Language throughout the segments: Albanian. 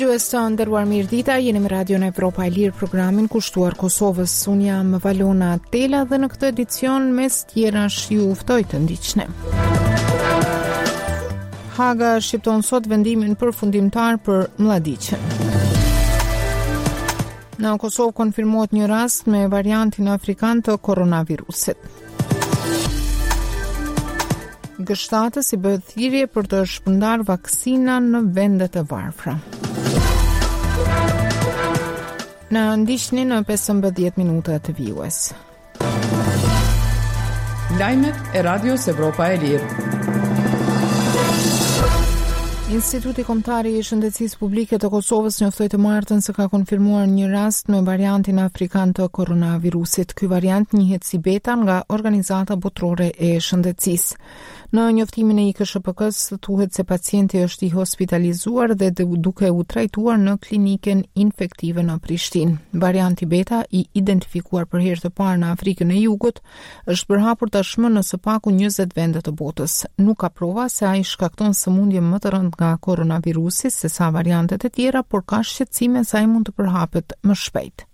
Dëgjues të nderuar mirëdita, jeni me Radion Evropa e Lirë programin kushtuar Kosovës. Unë jam Valona Tela dhe në këtë edicion mes tjerash ju ftoj të ndiqni. Haga shqipton sot vendimin përfundimtar për Mlladiqin. Në Kosovë konfirmohet një rast me variantin afrikan të koronavirusit. G7-ës i bëhet thirrje për të shpërndarë vaksina në vendet e varfra. Na ndiqni në 15 minutat vijuese. Lajmet e Radios Evropa e Lirë. Instituti Kombëtar i Shëndetësisë Publike të Kosovës njoftoi të martën se ka konfirmuar një rast me variantin afrikan të koronavirusit. Ky variant njihet si beta nga Organizata Botërore e Shëndetësisë. Në njoftimin e IKSHPK-së thuhet se pacienti është i hospitalizuar dhe duke u trajtuar në klinikën infektive në Prishtinë. Varianti beta i identifikuar për herë të parë në Afrikën e Jugut është përhapur tashmë në së paku 20 vende të botës. Nuk ka prova se ai shkakton sëmundje më të rëndë nga koronavirusi sesa variantet e tjera, por ka shqetësime se ai mund të përhapet më shpejt.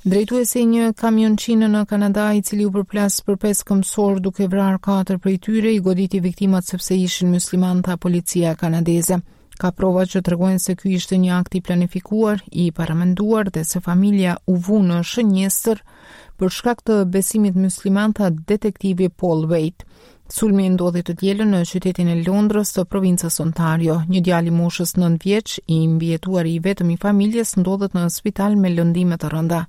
Drejtuesi i një kamionçine në Kanada, i cili u përplas për pesë këmbësorë duke vrarë katër prej tyre, i goditi viktimat sepse ishin muslimanë, tha policia kanadeze. Ka prova që tregojnë se ky ishte një akt i planifikuar, i paramenduar dhe se familja u vu në shënjestër për shkak të besimit musliman, tha detektivi Paul Wade. Sulmi ndodhi të dielën në qytetin e Londrës të provincës Ontario. Një djalë i moshës 9 vjeç, i mbijetuari i vetëm i familjes, ndodhet në spital me lëndime të rënda.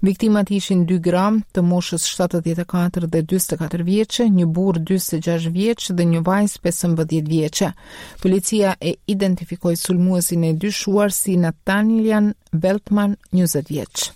Viktimat ishin dy gra të moshës 74 dhe 44 vjeçe, një burrë 46 vjeç dhe një vajzë 15 vjeçe. Policia e identifikoi sulmuesin e dyshuar si Nathaniel Veltman, 20 vjeç.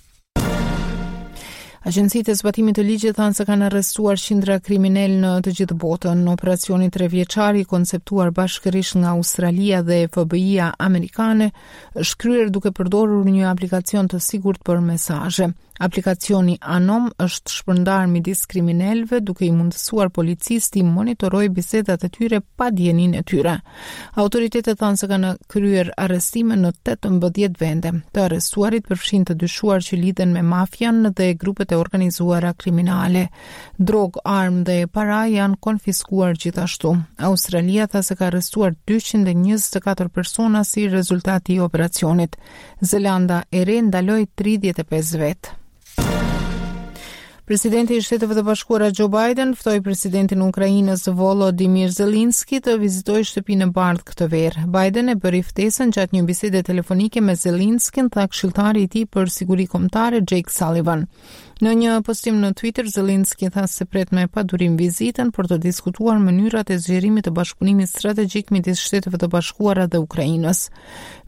Agjencitë e zbatimit të ligjit thanë se kanë arrestuar qindra kriminelë në të gjithë botën. Operacioni trevjeçar i konceptuar bashkërisht nga Australia dhe FBI-ja amerikane është kryer duke përdorur një aplikacion të sigurt për mesazhe. Aplikacioni Anom është shpërndarë midis kriminelëve duke i mundësuar policisë t'i monitorojë bisedat e tyre pa dijeninë e tyre. Autoritetet thanë se kanë kryer arrestime në 18 vende. Të arrestuarit përfshijnë të dyshuar që lidhen me mafian dhe grupet e organizuara kriminale. Drogë, armë dhe para janë konfiskuar gjithashtu. Australia tha se ka arrestuar 224 persona si rezultat i operacionit. Zelanda e Re ndaloi 35 vetë. Presidenti i Shteteve të Bashkuara Joe Biden ftoi presidentin e Ukrainës Volodymyr Zelensky të vizitojë Shtëpinë e Bardhë këtë verë. Biden e bëri ftesën gjatë një bisede telefonike me Zelenskyn, tha këshilltari i tij për siguri kombëtare Jake Sullivan. Në një postim në Twitter, Zelensky tha se pret me padurim vizitën për të diskutuar mënyrat e zgjerimit të bashkëpunimit strategjik midis Shteteve të Bashkuara dhe Ukrainës.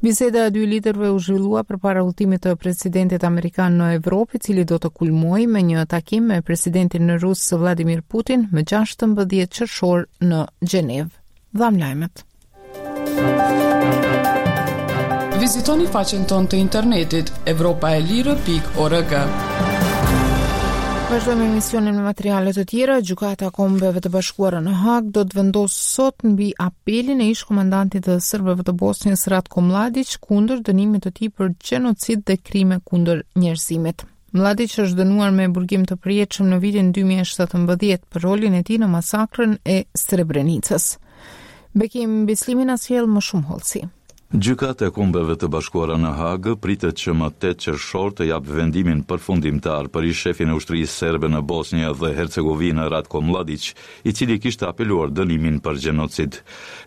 Biseda e dy liderëve u zhvillua përpara udhëtimit të presidentit amerikan në Evropë, i cili do të kulmojë me një takim me presidentin rus Vladimir Putin më 16 qershor në Gjenevë. Dhamë lajmet. Vizitoni faqen tonë të internetit evropaelire.org. Vazhdojmë emisionin me materiale të tjera. Gjykata e Kombeve të Bashkuara në Hagë do të vendosë sot mbi apelin e ish-komandantit të serbëve të Bosnjës Ratko Mladiq kundër dënimit të tij për gjenocid dhe krime kundër njerëzimit. Mladiq është dënuar me burgim të përjetshëm në vitin 2017 për rolin e tij në masakrën e Srebrenicës. Bekim Bislimi na sjell më shumë hollësi. Gjykata e Kombeve të Bashkuara në Hagë pritet që më 8 qershor të japë vendimin përfundimtar për ish-shefin e ushtrisë serbe në Bosnjë dhe Hercegovinë Ratko Mladiq, i cili kishte apeluar dënimin për gjenocid.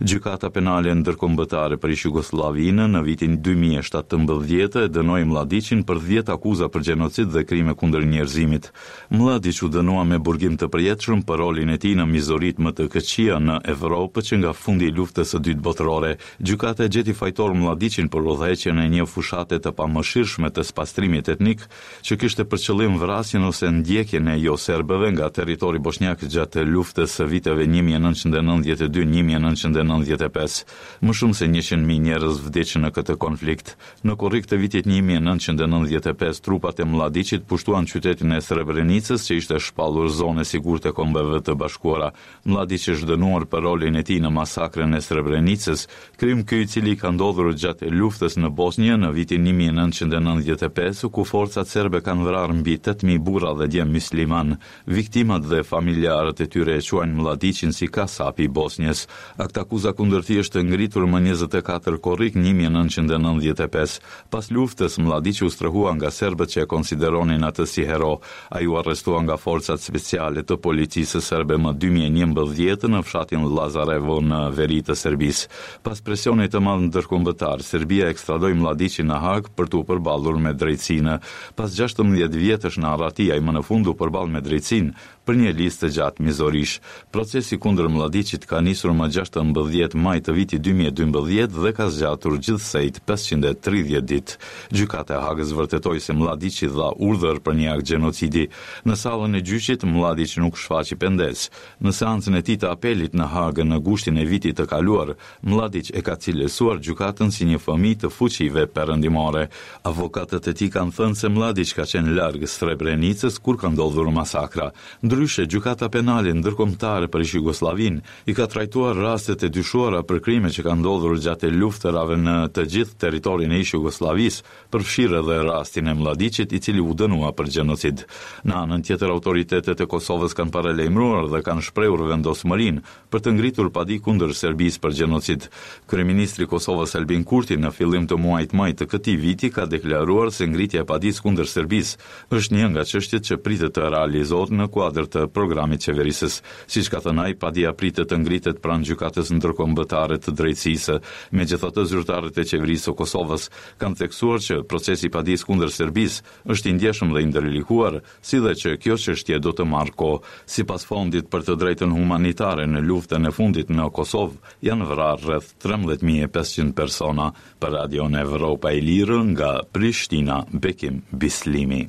Gjykata Penale Ndërkombëtare për ish-Jugosllavinë në vitin 2017 e dënoi Mladiqin për 10 akuza për gjenocid dhe krime kundër njerëzimit. Mladiq u dënua me burgim të përjetshëm për rolin e tij në mizoritë më të këqija në Evropë që nga fundi i Luftës së Dytë Botërore. Gjykata e gjeti fajtor Mladiqin për udhëheqjen e një fushate të pamëshirshme të spastrimit etnik, që kishte për qëllim vrasjen ose ndjekjen e jo-serbëve nga territori boshnjak gjatë luftës së viteve 1992 1995. Më shumë se 100.000 njerëz vdiqën në këtë konflikt. Në korrik të vitit 1995, trupat e Mladiqit pushtuan qytetin e Srebrenicës, që ishte shpallur zonë e sigurt e Kombeve të Bashkuara. Mladiq është dënuar për rolin e tij në masakrën e Srebrenicës, krim ky i cili ka. ndodhur gjatë luftës në Bosnjë në vitin 1995, ku forcat serbe kanë vrarë mbi 8000 burra dhe djem myslimanë. Viktimat dhe familjarët e tyre e quajnë Mlladiqin si kasapi i Bosnjës. Aktakuza kundër tij është ngritur më 24 korrik 1995. Pas luftës, Mlladiqi u strehua nga serbët që e konsideronin atë si hero. Ai u arrestua nga forcat speciale të policisë serbe më 2011 në fshatin Lazarevo në veri të Serbisë. Pas presionit të madh ndërkombëtar, Serbia ekstradoi Mlladiqin në Hagë për t'u përballur me drejtësinë. Pas 16 vjetësh në arrati, ai më në fund u përball me drejtësinë për një listë të gjatë mizorish. Procesi kundër Mlladiqit ka nisur më 16 maj të vitit 2012 dhe ka zgjatur gjithsej 530 ditë. Gjykata e Hagës vërtetoi se Mlladiqi dha urdhër për një akt gjenocidi. Në sallën e gjyqit, Mlladiq nuk shfaqi pendesë. Në seancën e tij të apelit në Hagë në gushtin e vitit të kaluar, Mlladiq e ka cilësuar gjykatën si një fëmijë të fuqive perëndimore. Avokatët e tij kanë thënë se Mlladiq ka qenë larg Srebrenicës kur ka ndodhur masakra. Ndryshe, Gjykata Penale Ndërkombëtare për ish-Jugosllavinë i ka trajtuar rastet e dyshuara për krime që kanë ndodhur gjatë luftërave në të gjithë territorin e ish-Jugosllavisë, përfshirë edhe rastin e Mlladiqit, i cili u dënua për gjenocid. Në anën tjetër, autoritetet e Kosovës kanë paralajmëruar dhe kanë shprehur vendosmërinë për të ngritur padi kundër Serbisë për gjenocid. Kryeministri i Kosovës Albin Kurti në fillim të muajit maj të këtij viti ka deklaruar se ngritja e padisë kundër Serbisë është një nga çështjet që pritet të realizohet në kuadër të programit qeverisës. Siç ka thënë ai, padia pritet të ngritet pranë Gjykatës Ndërkombëtare të Drejtësisë. Megjithatë, zyrtarët e qeverisë së Kosovës kanë theksuar që procesi i padisë kundër Serbisë është i ndjeshëm dhe i ndërlikuar, si dhe që kjo çështje do të marrë kohë. Sipas Fondit për të Drejtën Humanitare në luftën e fundit në Kosovë janë vrarë rreth 13.500 persona. Për Radion Evropa e Lirë nga Prishtina, Bekim Bislimi.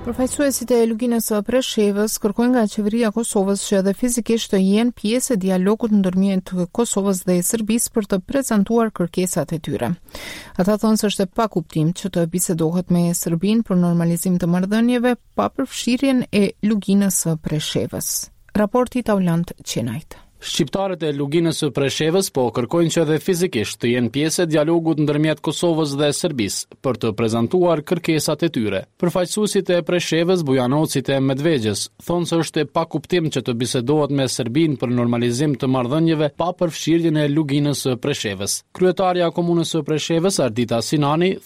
Përfaqësuesit e Luginës së Preshevës kërkojnë nga qeveria e Kosovës që edhe fizikisht të jenë pjesë e dialogut ndërmjet Kosovës dhe Serbisë për të prezantuar kërkesat e tyre. Ata thonë se është e pakuptim që të bisedohet me Serbinë për normalizim të marrëdhënieve pa përfshirjen e Luginës së Preshevës. Raporti i Taulant Qenajt. Shqiptarët e Luginës së Preshevës po kërkojnë që edhe fizikisht të jenë pjesë e dialogut ndërmjet Kosovës dhe Serbisë për të prezantuar kërkesat e tyre. Përfaqësuesit e Preshevës, Bujanocit e Medvegjës thonë se është e pakuptim që të bisedohet me Serbinë për normalizim të marrëdhënieve pa përfshirjen e Luginës së Preshevës. Kryetarja e Komunës së Preshevës, Ardita Sinani, thotë.